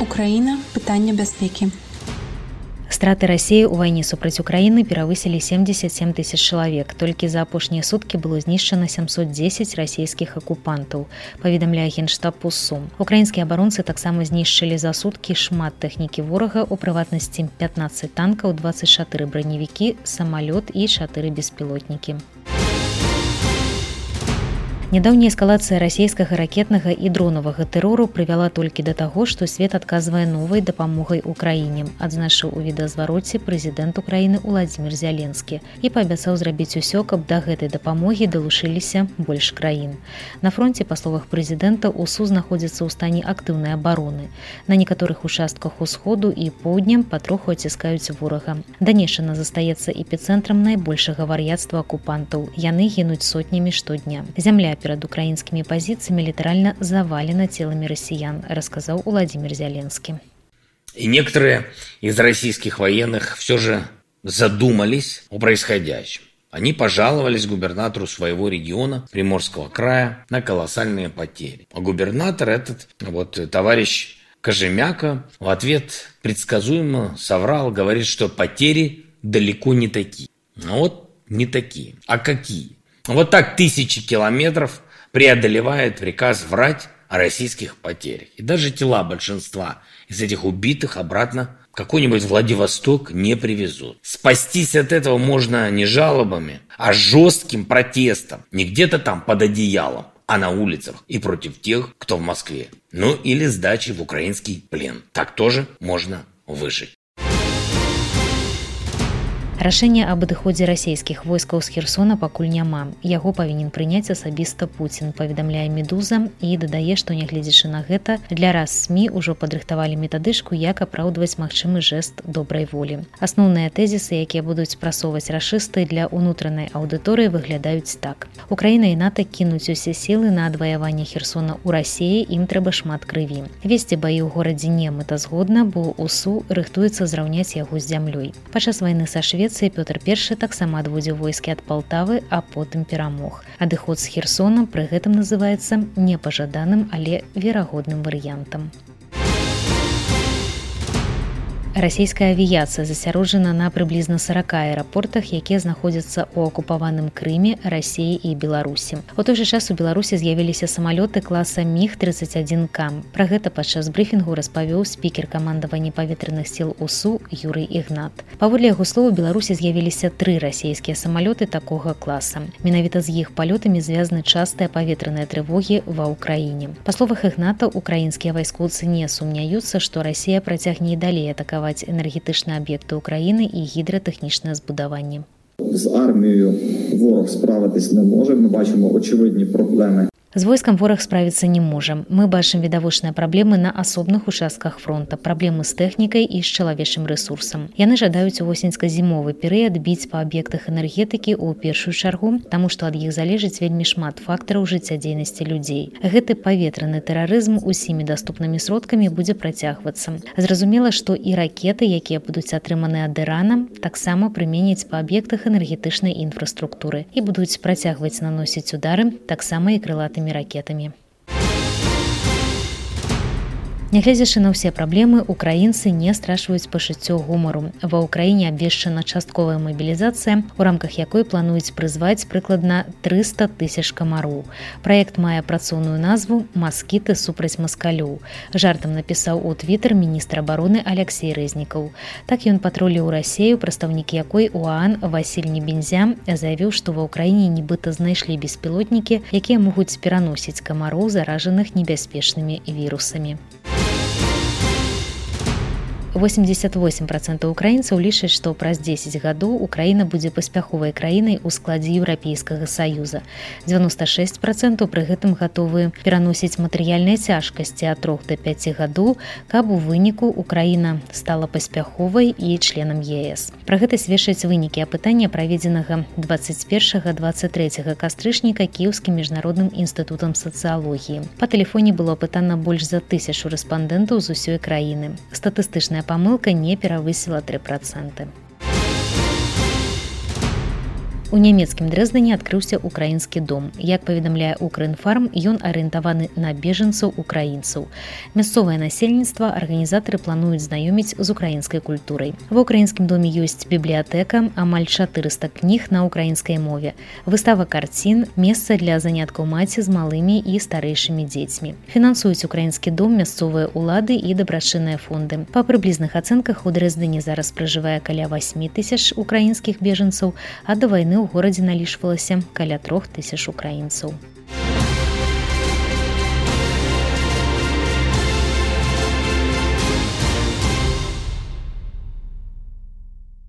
Украіна. Пытанне бяспекі. Страты России ў вайне супраць Украіны перавысілі 77 тысяч чалавек. Толькі за апошнія суткі было знішчана 710 расійскіх акупантаў, паведамляе Генштаб УСУ. Украінскія абаронцы таксама знішчылі за суткі шмат тэхнікі ворага, у прыватнасці 15 танкаў, 24 браневікі, самалёт і 4 беспілотнікі. Нядаўняя эскалацыя расійскага ракетнага і дронавага тэрору прывяла толькі да таго, што свет адказвае новай дапамогай Украіне, адзначыў у відэазвароце прэзідэнт Украіны Уладзімір Зяленскі і паабяцаў зрабіць усё, каб да гэтай дапамогі далучыліся больш краін. На фронце, па словах прэзідэнта, УСУ знаходзіцца ў стане актыўнай абароны. На некаторых участках усходу і поўдня патроху аціскаюць ворага. Данешчына застаецца эпіцэнтрам найбольшага вар'яцтва акупантаў. Яны гінуць сотнямі штодня. Зямля перад украінскімі пазіцыямі літаральна завалена телами россиян, рассказал Владимир Зеленский. И некоторые из российских военных все же задумались о происходящем. Они пожаловались губернатору своего региона, Приморского края, на колоссальные потери. А губернатор этот, товарищ Кожемяка, в ответ предсказуемо соврал, говорит, что потери далеко не такие. Не такие. А какие? Так 1000 километров преодолевает приказ врать о российских потерях. И даже тела большинства из этих убитых обратно в какой-нибудь Владивосток не привезут. Спастись от этого можно не жалобами, а жестким протестом. Не где-то там под одеялом, а на улицах и против тех, кто в Москве. Или сдачей в украинский плен. Так тоже можно выжить. Рашэння аб адыходзе расійскіх войскаў з Херсона пакуль няма. Яго павінен прыняць асабіста Пуцін, паведамляе «Медуза» і дадае, што нягледзячы на гэта, для раз СМІ ўжо падрыхтавалі метадычку, як апраўдваць магчымы жэст добрай волі. Асноўныя тэзісы, якія будуць прасоўваць рашысты для ўнутранай аўдыторыі, выглядаюць так. Украіна і НАТО кінуць усе сілы на адваяванне Херсона ў Расіі, ім трэба шмат крыві. Весці баі ў горадзе не мэтазгодна, бо УСУ рыхтуецца зраўняць яго з зямлёй. Падчас вайны са Швецыяй Пётр I таксама адводзіў войскі ад Палтавы, а потым перамог. Адыход з Херсона пры гэтым называецца непажаданым, але верагодным варыянтам. Расійская авіяцыя засяроджана на прыблізна 40 аэрапортах, якія знаходзяцца ў акупаваным Крыме, Расіі і Беларусі. У той жа час у Беларусі з'явіліся самалёты класа МіГ-31К. Пра гэта падчас брыфінгу распавёў спікер камандавання паветраных сіл УСУ Юрый Ігнат. Паводле яго слоў, у Беларусі з'явіліся 3 расійскія самалёты такога класа. Менавіта з іх палётамі звязаны частыя паветраныя трывогі ва ўкраіне. Па словах Ігната, украінскія вайскоўцы не сумняюцца, што Расія працягне і далей атакаваць енергетичні об'єкти України і гідротэхнічне збудаванне. З армією ворог справитись не може. Ми бачимо очевидні проблеми. З войскам вораг справіцца не можа. Мы бачым відавочныя праблемы на асобных участках фронта, праблемы з тэхнікай і з чалавечым рэсурсам. Яны жадаюць у восеньска-зімовы перыяд біць па аб'ектах энергетыкі ў першую чаргу, таму што ад іх залежыць вельмі шмат фактараў жыццядзейнасці людзей. Гэты паветраны тэрарызм усімі даступнымі сродкамі будзе працягвацца. Зразумела, што і ракеты, якія будуць атрыманы ад Ірана, таксама прыменяць па аб'ектах энергетычнай інфраструктуры і будуць працягваць наносіць удары таксама і крылатымі ракетамі. Нягледзячы на ўсе праблемы, украінцы не страчваюць пачуццё гумару. Ва ўкраіне абвешчана частковая мабілізацыя, у рамках якой плануюць прызваць прыкладна 300 тысяч камароў. Праект мае працоўную назву «Маскіты супраць маскалёў». Жартам напісаў у Твіттер міністр абароны Алексей Рэзнікаў. Так ён патруліў Расію, прадстаўнік якой УАН Васіль Небензя заявіў, што ва ўкраіне нібыта знайшлі беспілотнікі, якія могуць пераносіць камароў, заражаных небяспечнымі вірусамі. 88% украінцаў лічаць, што праз 10 гадоў Украіна будзе паспяховай краінай у складзе Еўрапейскага Саюза. 96% пры гэтым гатовы пераносіць матэрыяльныя цяжкасці ад 3 до 5 гадоў, каб у выніку Украіна стала паспяховай і членам ЕС. Пра гэта сведчаць вынікі апытання, праведзенага 21-23 кастрычніка Кіеўскім міжнародным інстытутам сацыялогіі. Па тэлефоне было апытана больш за 1000 рэспандэнтаў з усёй краіны. Статыстычная памылка не перавысіла 3%. У нямецкім Дрэздане адкрыўся украінскі дом. Як паведамляе Укрінфарм, ён арыентаваны на бежанцаў украінцаў. Мясцовае насельніцтва арганізатары плануюць знаёміць з украінскай культурай. Ва ўкраінскім доме ёсць бібліятэка, амаль 400 кніг на украінскай мове, выстава карцін, месца для заняткаў маці з малымі і старэйшымі дзецьмі. Фінансуюць украінскі дом мясцовыя ўлады і дабрачынныя фонды. Па прыблізных ацэнках у Дрэздане зараз пражывае каля 8 000 украінскіх бежанцаў, а да вайны ў горадзе налічвалася каля 3 000 украінцаў.